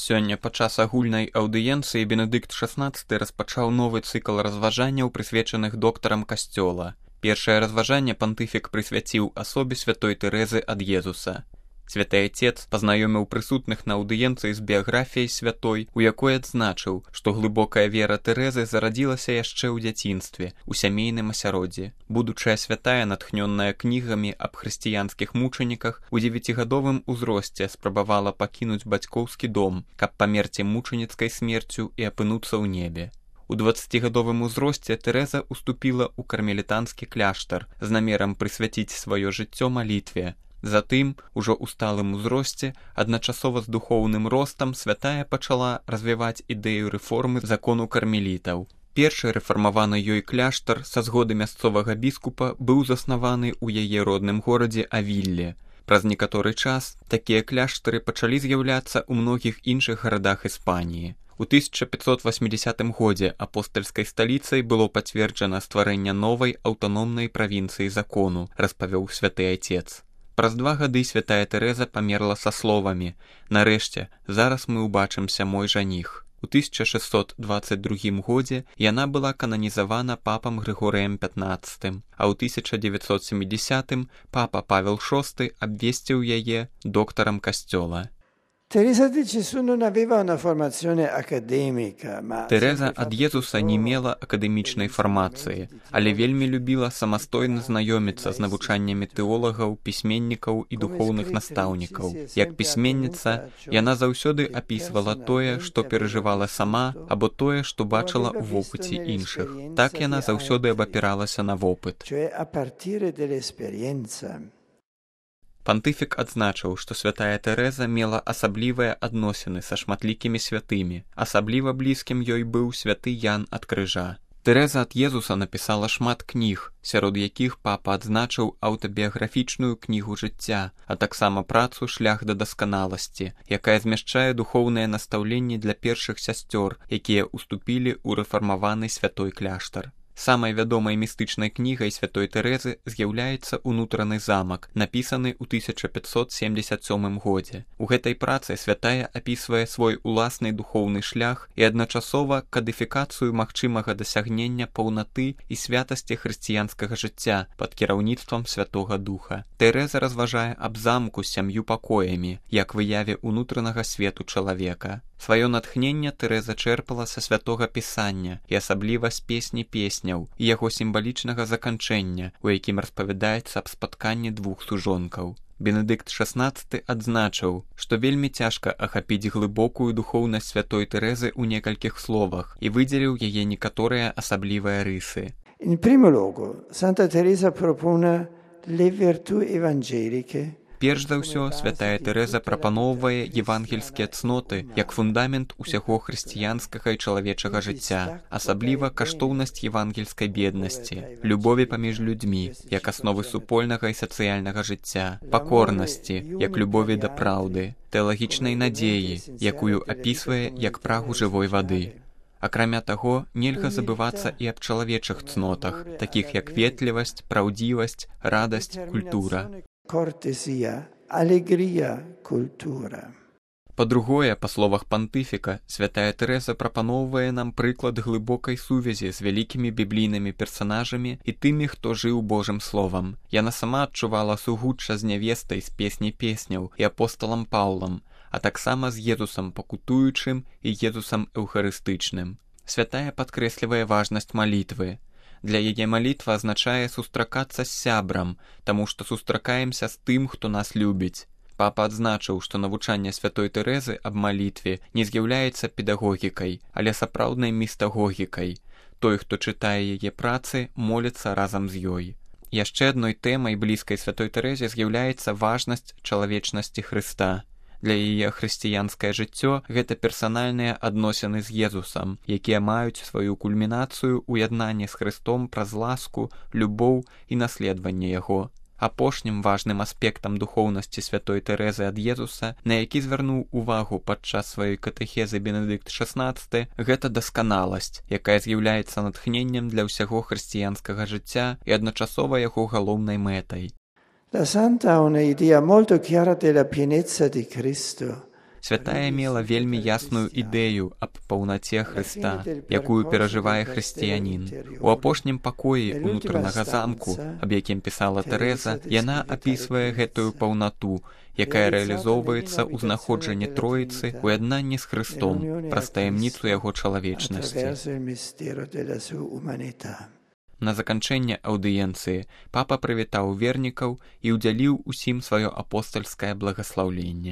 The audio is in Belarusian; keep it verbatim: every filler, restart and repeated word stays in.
Сёння падчас агульнай аўдыенцыі Бенедыкт шаснаццаты распачаў новы цыкл разважанняў, прысвечаных доктарам касцёла. Першае разважанне пантыфік прысвяціў асобе святой Тэрэзы ад Езуса. Святы Айцец пазнаёміў прысутных на аўдыенцыі з біяграфіяй святой, у якой адзначыў, што глыбокая вера Тэрэзы зарадзілася яшчэ ў дзяцінстве, у сямейным асяроддзі. Будучая святая, натхнённая кнігамі аб хрысціянскіх мучаніках, у дзевяцігадовым узросце спрабавала пакінуць бацькоўскі дом, каб памерці мучаніцкай смерцю і апынуцца ў небе. У дваццацігадовым узросце Тэрэза уступіла ў кармелітанскі кляштар з намерам прысвяціць сваё жыццё малітве. Затым, ужо ў сталым узросце, адначасова з духоўным ростам, святая пачала развіваць ідэю рэформы закону кармелітаў. Першы рэфармаваны ёй кляштар са згоды мясцовага біскупа быў заснаваны ў яе родным горадзе Авілле. Праз некаторы час такія кляштары пачалі з'яўляцца ў многіх іншых гарадах Іспаніі. У тысяча пятьсот восьмидесятым годзе апостальскай сталіцай было пацверджана стварэнне новай аўтаномнай правінцыі закону, распавёў святы Айцец. Праз два гады святая Тэрэза памерла са словамі: «Нарэшце, зараз мы ўбачымся, мой жаніх». У тысяча шэсцьсот дваццаць другім годзе яна была кананізавана папам Грыгорыем пятнаццатым, а ў тысяча девятьсот семидесятым папа Павел шосты абвесціў яе доктарам касцёла. Teresa di Gesù non aveva una formazione accademica, ma Тэрэза ад Езуса не мела акадэмічнай фармацыі, але вельмі любіла самастойна знаёміцца з навучаннямі тэолагаў, пісьменнікаў і духоўных настаўнікаў. Як пісьменніца, яна заўсёды апісвала тое, што перажывала сама, або тое, што бачыла ў вопыце іншых. Так яна заўсёды абапіралася на вопыт. Пантыфік адзначыў, што святая Тэрэза мела асаблівыя адносіны са шматлікімі святымі. Асабліва блізкім ёй быў святы Ян ад Крыжа. Тэрэза ад Езуса напісала шмат кніг, сярод якіх папа адзначыў аўтабіяграфічную кнігу жыцця, а таксама працу «Шлях да дасканаласці», якая змяшчае духоўныя настаўленні для першых сясцёр, якія ўступілі ў рэфармаваны святой кляштар. Самай вядомай містычнай кнігай святой Тэрэзы з'яўляецца «Унутраны замак», напісаны ў тысяча пятьсот семьдесят сёмым годзе. У гэтай працы святая апісвае свой уласны духоўны шлях і адначасова кадыфікацыю магчымага дасягнення паўнаты і святасці хрысціянскага жыцця пад кіраўніцтвам Святога Духа. Тэрэза разважае аб замку з сям'ю пакоямі, як выяве ўнутранага свету чалавека. Сваё натхненне Тэрэза чэрпала са святога пісання і асабліва з песні песняў і яго сімвалічнага заканчэння, у якім распавядаецца аб спатканні двух сужонкаў. Бенедыкт шаснаццаты адзначыў, што вельмі цяжка ахапіць глыбокую духоўнасць святой Тэрэзы ў некалькіх словах і выдзеліў яе некаторыя асаблівыя рысы. In primo luogo, Santa Teresa propone le virtù evangeliche. Перш за ўсё, святая Тэрэза прапаноўвае евангельскія цноты як фундамент усяго хрысціянскага і чалавечага жыцця, асабліва каштоўнасць евангельскай беднасці, любові паміж людзьмі, як асновы супольнага і сацыяльнага жыцця, пакорнасці, як любові да праўды, тэалагічнай надзеі, якую апісвае як прагу жывой вады. Акрамя таго, нельга забывацца і аб чалавечых цнотах, такіх як ветлівасць, праўдзівасць, радасць, культура. Cortesia, allegria, cultura. Па-другое, па словах пантыфіка, святая Тэрэза прапаноўвае нам прыклад глыбокай сувязі з вялікімі біблійнымі персанажамі і тымі, хто жыў Божым словам. Яна сама адчувала сугучча з нявестай з песні песняў і апосталам Паўлам, а таксама з Езусам пакутуючым і Езусам эўхарыстычным. Святая падкрэслівае важнасць малітвы. Для яе малітва азначае сустракацца з сябрам, таму што сустракаемся з тым, хто нас любіць. Папа адзначыў, што навучанне святой Тэрэзы аб малітве не з'яўляецца педагогікай, але сапраўднай містагогікай. Той, хто чытае яе працы, моліцца разам з ёй. Яшчэ адной тэмай блізкай святой Тэрэзе з'яўляецца важнасць чалавечнасці Хрыста. Для яе хрысціянскае жыццё гэта персанальныя адносіны з Езусам, якія маюць сваю кульмінацыю ў яднанні з Хрыстом праз ласку, любоў і наследаванне яго. Апошнім важным аспектам духоўнасці святой Тэрэзы ад Езуса, на які звярнуў увагу падчас сваёй катэхезы Бенедыкт шаснаццаты, гэта дасканаласць, якая з'яўляецца натхненнем для ўсяго хрысціянскага жыцця і адначасова яго галоўнай мэтай. La Santa ha un'idea molto chiara della pienezza di Cristo. Святая мела вельмі ясную ідэю аб паўнаце Хрыста, якую перажывае хрысціянін. У апошнім пакоі унутранага замку, аб якім пісала Тэрэза, яна апісвае гэтую паўнату, якая рэалізоўваецца ў знаходжанні Троіцы ў яднанні з Хрыстом праз таямніцу яго чалавечнасці. На заканчэнне аўдыенцыі папа прывітаў вернікаў і ўдзяліў усім сваё апостальскае благаслаўленне.